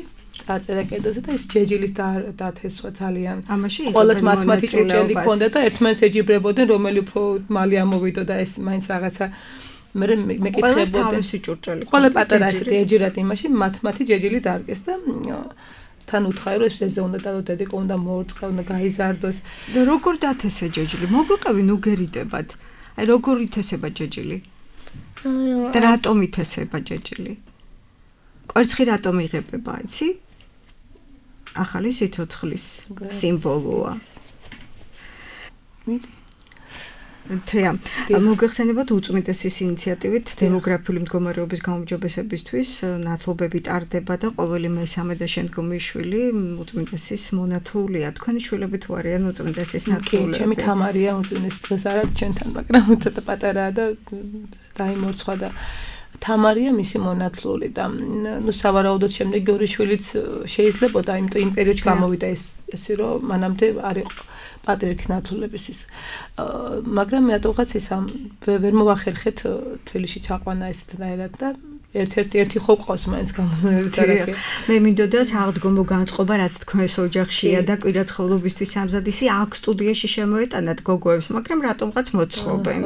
წარწერა კედელზე და ეს ჯეჯილით დათესვა ძალიან. ამაში ყოველს მათემატიკის ჭურჭელი ქონდა და ერთმანეთს ეჯიბრებოდნენ, რომელი უფრო მალე ამოვიდო და ეს მაინც რაღაცა მე მეკითხებოდნენ. ყველა პატარა ასეთი ეჯირათ იმაში მათემატიკის ჯეჯილი დარგეს და თან უთხარი რომ ეს უნდა და დედიკო უნდა მოორწყა, უნდა გაიზარდოს. და როგორ დათესე ჯეჯილი? მოგვიყევი ნუ გერიდებად. აი როგორ ითესება ჯეჯილი? და რატომ ითესება ჯეჯილი? კვერცხი რატომ იღებება, იცი? ახალი სიცოცხლის სიმბოლოა. თეა, მოგეხსენებათ უწმიდესის ინიციატივით დემოგრაფიული მდგომარეობის გაუმჯობესებისთვის ნათლობები ტარდება და ყოველი მესამე და შემდგომი შვილი უწმიდესის მონათლულია. თქვენი შვილები თუ არიან უწმიდესის ნათლულები? ჩემი თამარია უწმიდესის დღეს არ არის ჩვენთან, მაგრამ ცოტა პატარაა და დაიმორცხვა და თამარია მისი მონათლული და ნუ სავარაუდოდ შემდეგი ორი შვილიც შეიძლებოდა, იმიტომ იმ პერიოდში გამოვიდა ეს რომ მანამდე არის პატრიარქის ნათლულების ის მაგრამ მე რატომღაც ის ამ ვერ მოვახერხეთ თბილისში ჩაყვანა ესეთნაირად და ერთ-ერთი ხო ყავს მაინც გამონერისარაკი. მე მინდოდა საღდგომო განწყობა რაც თქვენს ოჯახშია და კვირაცხოვლობისთვის ამზადისი აქ სტუდიაში შემოეტანათ გოგოებს, მაგრამ რატომღაც მოწყობენ.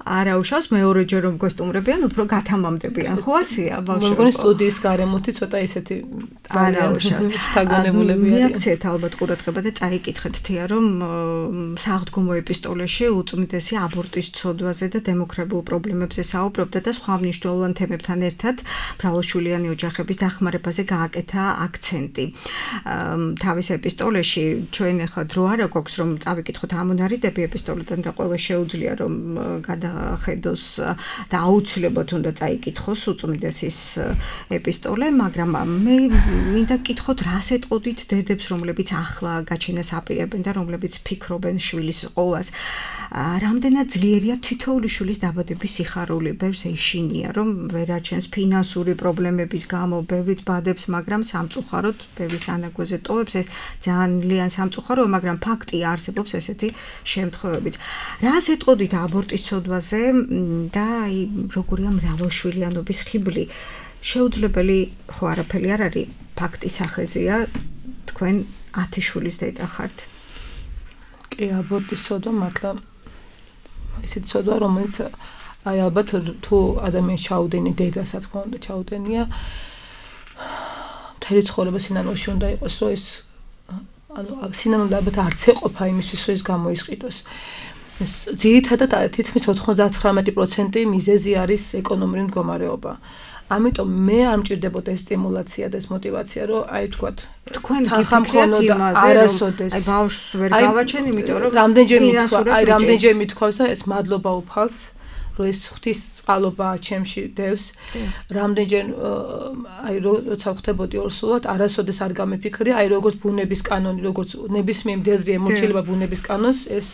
არა უშავს მეორეჯერ რომ გოსტუმრებიან, უფრო გათამამდებიან. ხო ასეა ბავშვები. მგონი სტუდიის გარემოთი ცოტა ისეთი ძალიან შთაგონებულები არიან. მიაქცეთ ალბათ ყურადღება და წაიკითხეთ თეა რომ საღდგომო ეპისტოლეში უწმიდესი აბორტის ცოდვაზე და დემოგრაფიულ პრობლემებზე საუბრობდა და სხვა მნიშვნელოვან თემებთან ერთად მრავალშვილიანი ოჯახების დახმარებაზე გააკეთა აქცენტი. თავის ეპისტოლეში ჩვენ ახლა დრო არა გვაქვს რომ წავიკითხოთ ამონარიდები ეპისტოლედან და ყველა შეუძლია რომ გადახედოს და აუცილებლად უნდა წაიკითხოს უწმიდესის ეპისტოლე, მაგრამ მე მინდა გკითხოთ რას ეტყოდით დედებს, რომლებიც ახლა გაჩენას აპირებენ და რომლებიც ფიქრობენ შვილის ყოლას. რამდენად ძლიერია თითოეული შვილის დაბადების სიხარული, ბევრს ეშინია რომ ვერ აჩენს ფინანსური პრობლემების გამო ბევრით ბადებს, მაგრამ სამწუხაროდ ბევრის ანაგვეზე ტოვებს ეს ძალიან სამწუხაროა, მაგრამ ფაქტია არსებობს ესეთი შემთხვევებიც. რას ეტყოდით აბორტის ცოდვაზე და როგორია მრავალშვილიანობის ხიბლი? შეუძლებელი ხო არაფერი არ არის ფაქტის სახეზეა, თქვენ 10 შვილის დედა ხართ. კი, აბორტის ცოდვა მართლა ესეთი ცოდვა, რომელიც აი ალბათ თუ ადამიანს ჩაუდენი დედას, რა თქმა უნდა, ჩაუდენია მთელი ცხოვრება სინანულში უნდა იყოს, რომ ეს ანუ სინანული ალბათ არც ეყოფა იმისთვის, რომ ეს გამოისყიდოს. ძირითადად თითქმის 99% მიზეზი არის ეკონომიური მდგომარეობა. ამიტომ მე არ მჭირდებოდა ეს სტიმულაცია და ეს мотиваცია, რომ აი თქვათ თქვენ გიფიქრეთ იმაზე, არასოდეს აი ბავშვს ვერ გავაჩენ, იმიტომ რომ რამდენჯერ მithქვავს და ეს მადლობა უფალს, რომ ეს ღვთის წყალობაა ჩემში დევს. რამდენჯერ აი როცა ხვდებოდი ორსულად, არასოდეს არ გამიფიქრია, აი როგორც ბუნების კანონი, როგორც ნებისმიერ მდედრი ემორჩილება ბუნების კანონს, ეს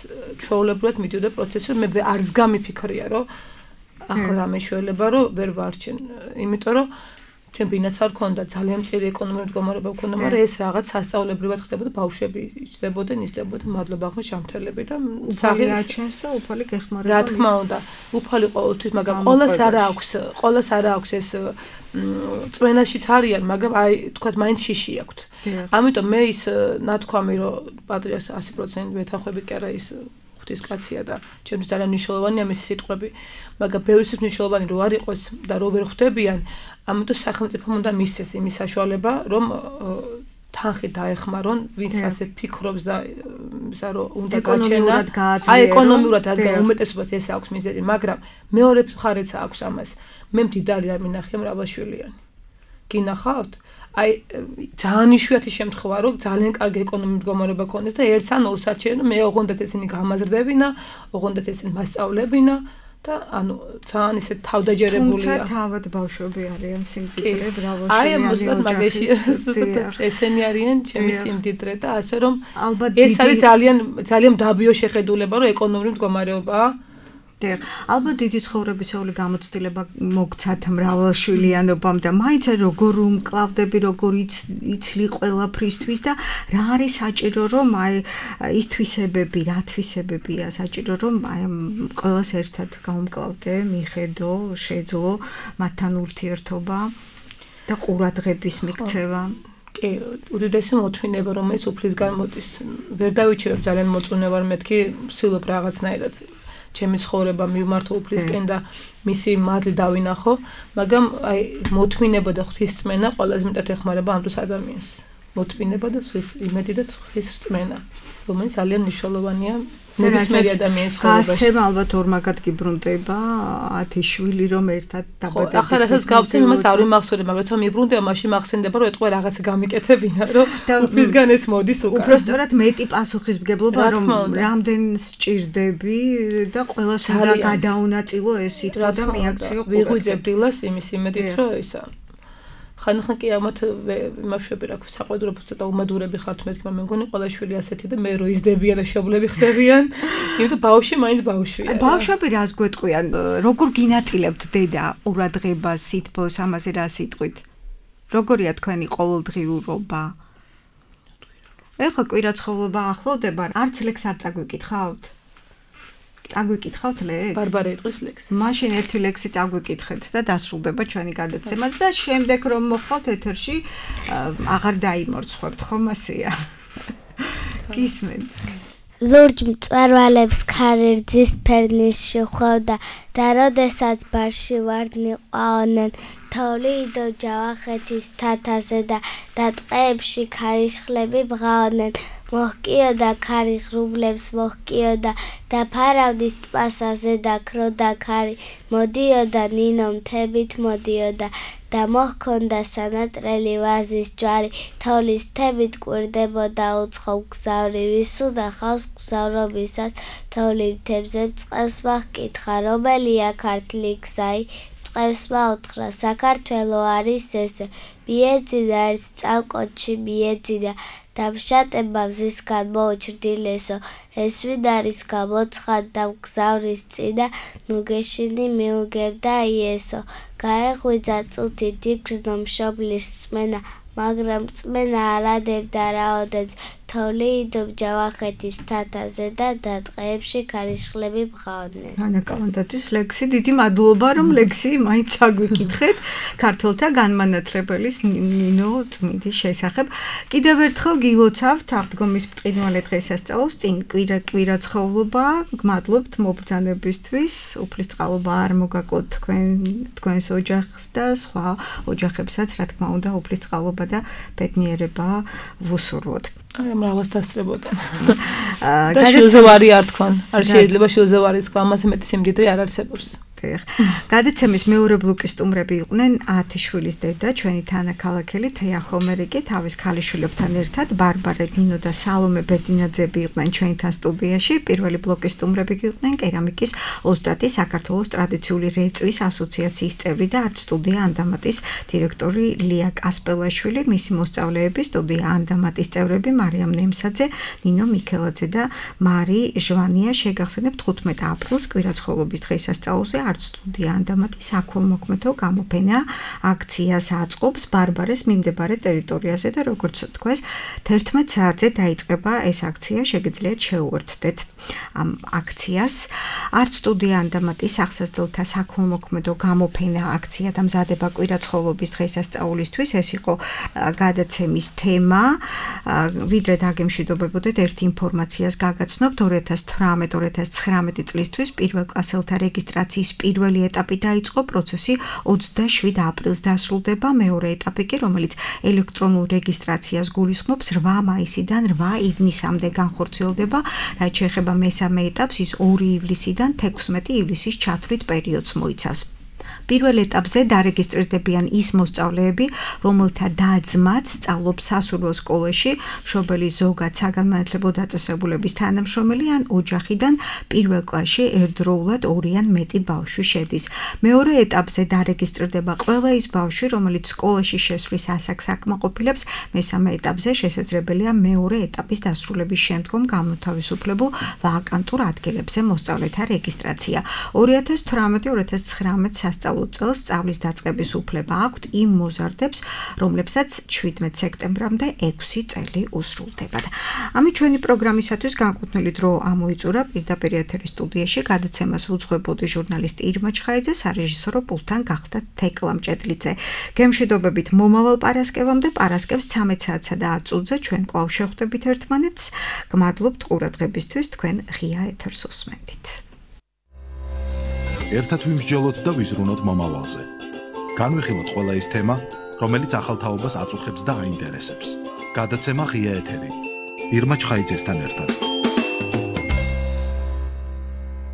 ჩვეულებრივად მიდიოდა პროცესი, მე არც გამიფიქრია, რომ ახლა რა მეშველება რომ ვერ ვარჩენ, იმიტომ რომ ჩვენ ბინაც არ ქონდა ძალიან მწირი ეკონომიკური მდგომარეობა ქონდა, მაგრამ ეს რაღაც სასწავლებრივად ხდებოდა, ბავშვები იჭდებოდნენ, ისდებოდნენ, მადლობა ხო შამთელები და საფი აჩენს და უფალი გეხმარება. რა თქმა უნდა, უფალი ყოველთვის, მაგრამ ყოველს არა აქვს ეს წვენაშიც არიან, მაგრამ აი თქვათ მაინც შიში აქვთ. ამიტომ მე ის ნათქვამი რომ პატრიარქს 100% ვეთანხმები კი არა ის ღვთის კაცია და ჩემთვის ძალიან მნიშვნელოვანია მისი სიტყვები, მაგრამ ბევრისთვის მნიშვნელოვანი რო არ იყოს და რო ვერ ხვდებიან, ამიტომ სახელმწიფომ უნდა მისცეს იმის საშუალება, რომ თანხი დაეხმარონ, ვინც ასე ფიქრობს და ისა რომ უნდა გაჩენა. აი ეკონომიურად რადგან უმეტესობას ეს აქვს მიზეზი, მაგრამ მეორე მხარეც აქვს ამას. მე მდიდარი არ მინახია მრავალშვილიანი. გინახავთ? აი ძალიან იშვიათი შემთხვევა რომ ძალიან კარგი ეკონომიკური მდგომარეობა ქონდეს და ერთს ან ორს არჩევენ, მე ოღონდ ესენი გამაზრდებინა, ოღონდ ესენი მასწავლებინა და ანუ ძალიან ისე თავდაჯერებულია. თუმცა თავად ბავშვები არიან სიმდიდრე, ბრავალშვილიანი. აი მოსულად მაგაში ესენი არიან ჩემი სიმდიდრე და ასე რომ ეს არის ძალიან დაბიო შეხედულება რომ ეკონომიკური მდგომარეობაა. ალბათ დიდი ცხოვრებისეული გამოცდილება მოგცათ მრავალშვილიანობამ და მაინც როგორ უმკლავდები, როგორ იცლი ყველაფრისთვის და რა არის საჭირო რომ აი ის თვისებები, რა თვისებებია საჭირო რომ აი ყველას ერთად გაუმკლავდე, მიხედო, შეძლო მათთან ურთიერთობა და ყურადღების მიქცევა. კი, უდიდესი მოთმინება რომელიც უფლისგან მოდის. ვერ დავიჩევებ ძალიან მოწუნე ვარ მეთქი, ვსილობ რაღაცნაირად ჩემი ცხოვრება მივმართო უფლისკენ და მისი მადლი დავინახო, მაგრამ აი მოთმინება და ღვთისწმენა ყველაზე მეტად ეხმარება ამ დროს ადამიანს. მოთმინება და იმედი და ღვთის რწმენა, რომელიც ძალიან მნიშვნელოვანია ნებისმიერი ადამიანის ცხოვრებაში. გასცემ ალბათ ორმაგად გიბრუნდება 10 შვილი რომ ერთად დაბადების. ახლა რასაც გავცემ იმას არ ვიმახსოვრე, მაგრამ თვითონ მიბრუნდება, მაშინ მახსენდება რომ ეტყვა რაღაცა გამიკეთებინა, რომ უფლისგან ეს მოდის უკან. უბრალოდ მეტი პასუხისმგებლობა რომ რამდენს სჭირდები და ყველას უნდა გადაუნაწილო ეს სიტყვა და მიაქციო ყურადღება. ვიღვიძებ დილას იმის იმედით რომ ისა ხან კი ამათ იმავშვები რა ქვია საყვედურო ცოტა უმადურები ხართ მეთქი, მაგრამ მე მგონი ყველა შვილი ასეთი და მე რო იზრდებიან და მშობლები ხდებიან, იმიტომ ბავშვი მაინც ბავშვია. ბავშვები რას გვეტყვიან? როგორ გინაწილებთ დედა ყურადღებას, სითბოს, ამაზე რა სიტყვით? როგორია თქვენი ყოველდღიურობა? ეხლა კვირაცხოვლობა ახლოვდება, არც ლექს არ წაგვიკითხავთ? წაგვიკითხავთ ლექს? ბარბარე იტყვის ლექს. მაშინ ერთი ლექსი წაგვიკითხეთ და დასრულდება ჩვენი გადაცემაც და შემდეგ რომ მოხვალთ ეთერში აღარ დაიმორცხებთ, ხომ ასეა? გისმენ. ლურჯ მწვერვალებს ქარირძის ფერნიში ხვდა და როდესაც ბარში ვარდნი ყვაოდნენ თოვლი იდო ჯავახეთის თათაზე და ტყეებში ქარიშხლები ბღაოდნენ მოჰკიოდა ქარი ღრუბლებს მოჰკიოდა და ფარავდის ტბასაზე და ქროდა ქარი მოდიოდა ნინო მთებით მოდიოდა და მოჰქონდა სანატრელი ვაზის ჯვარი თოვლის მთებით კვირდებოდა უცხო გზავრივი სუდა ხავს გზავრობისას თოვლი მთებზე წყევს მახკითხა რომელია ქართლი გზაი წყევს მაუთხრა საქართველო არის ესე მიეძინა ერთ წალკოჩი მიეძინა დამშატება მზისგან მოუჩრდილესო ეს ვინ არის გამოცხადდა გზავრის წინა ნუგეშინი მიუგებდა იესო გაეღვიძა წუთი დიგრძნო მშობლის წმენა მაგრამ წმენა არადებდა რაოდენს თოვლი იდო ჯავახეთის თათაზე და ტყეებში ქარიშხლები ბღაოდნენ. ანა კავანდაძის ლექსი დიდი მადლობა რომ ლექსი მაინც აგვიკითხეთ ქართველთა განმანათლებელის ნინო წმინდის შესახებ. კიდევ ერთხელ გილოცავთ აღდგომის ბრწყინვალე დღესასწაულს წინ კვირაცხოვლობა გმადლობთ მობრძანებისთვის უფლისწყალობა არ მოგაკლოთ თქვენს ოჯახს და სხვა ოჯახებსაც რა თქმა უნდა უფლისწყალობა და ბედნიერება ვუსურვოთ. აი მრავალს დასწრებოდა. და შილზევარი არ თქვან. არ შეიძლება შილზევარის თქვა, ამაზე მეტი სიმდიდრე არ არსებობს. გადაცემის მეორე ბლოკის სტუმრები იყვნენ 10 შვილის დედა, ჩვენი თანაქალაქელი თეა ხომერიკი, თავის ქალიშვილებთან ერთად, ბარბარე ნინო და სალომე ბედინაძეები იყვნენ ჩვენთან სტუდიაში. პირველი ბლოკის სტუმრები იყვნენ კერამიკის ოსტატი, საქართველოს ტრადიციული რეწვის ასოციაციის წევრი და არტ სტუდია ანდამატის დირექტორი ლია კასპელაშვილი, მისი მოსწავლეები სტუდია ანდამატის წევრები მარიამ ნემსაძე, ნინო მიქელაძე და მარი ჟვანია. შეგახსენებთ 15 აპრილს კვირაცხოვლობის დღესასწაულზე არტ სტუდია ანდამატის აქუომოქმედო გამოფენა აქციას აწყობს ბარბარეს მიმდებარე ტერიტორიაზე და როგორც თქვეს 11 საათზე დაიწყება ეს აქცია შეგიძლიათ შეუერთდეთ ამ აქციას არტ სტუდია ანდამატის ახსასდელთა საქველმოქმედო გამოფენა აქცია დამზადება კვირაცხოვლობის დღესასწაულისთვის ეს იყო გადაცემის თემა ვიდრე დაგემშვიდობებოდეთ ერთ ინფორმაციას გაგაცნობთ 2018-2019 წლისთვის პირველ კლასელთა რეგისტრაციის პირველი ეტაპი დაიწყო პროცესი 27 აპრილს დასრულდება მეორე ეტაპი კი რომელიც ელექტრონულ რეგისტრაციას გულისხმობს 8 მაისიდან 8 ივნისამდე განხორციელდება რაც შეეხება მესამე ეტაპს ის 2 ივლისიდან 16 ივლისის ჩათვლით პერიოდს მოიცავს პირველ ეტაპზე დარეგისტრირდებიან ის მოსწავლეები, რომელთა და-ძმაც სწავლობს სასულიერო სკოლაში, მშობელი ზოგად საგანმანათლებლო დაწესებულების თანამშრომელი ან ოჯახიდან პირველ კლასში ერთდროულად 2 ან მეტი ბავშვი შედის. მეორე ეტაპზე დარეგისტრირდება ყველა ის ბავშვი, რომელიც სკოლაში შესვლის ასაკს აკმაყოფილებს, მესამე ეტაპზე შესაძლებელია მეორე ეტაპის დასრულების შემდგომ გამოთავისუფლებულ ვაკანტურ ადგილებზე მოსწავლეთა რეგისტრაცია. 2018-2019 სასწავლო წელს სწავლის დაწყების უფლება აქვთ იმ მოზარდებს, რომლებსაც 17 სექტემბრამდე 6 წელი უსრულდებათ. ამით ჩვენი პროგრამისათვის განკუთვნილი დრო ამოიწურა პირდაპირ ეთერის სტუდიაში გადაცემას უძღვებოდი ჟურნალისტი ირმა ჩხაიძე, სარეჟისორო პულტთან გახდა თეკლა მჭედლიძე. გემშვიდობებით მომავალ პარასკევამდე, პარასკევს 13 საათსა და 10 წუთზე ჩვენ კვლავ შევხვდებით ერთმანეთს. გმადლობთ ყურადღებისთვის, თქვენ ღია ეთერს უსმენთ. ერთად ვიმსჯელოთ და ვიზრუნოთ მომავალზე. განვიხილოთ ყველა ის თემა, რომელიც ახალ თაობას აწუხებს და აინტერესებს. გადაცემა ღია ეთერი. ირმა ჩხაიძესთან ერთად.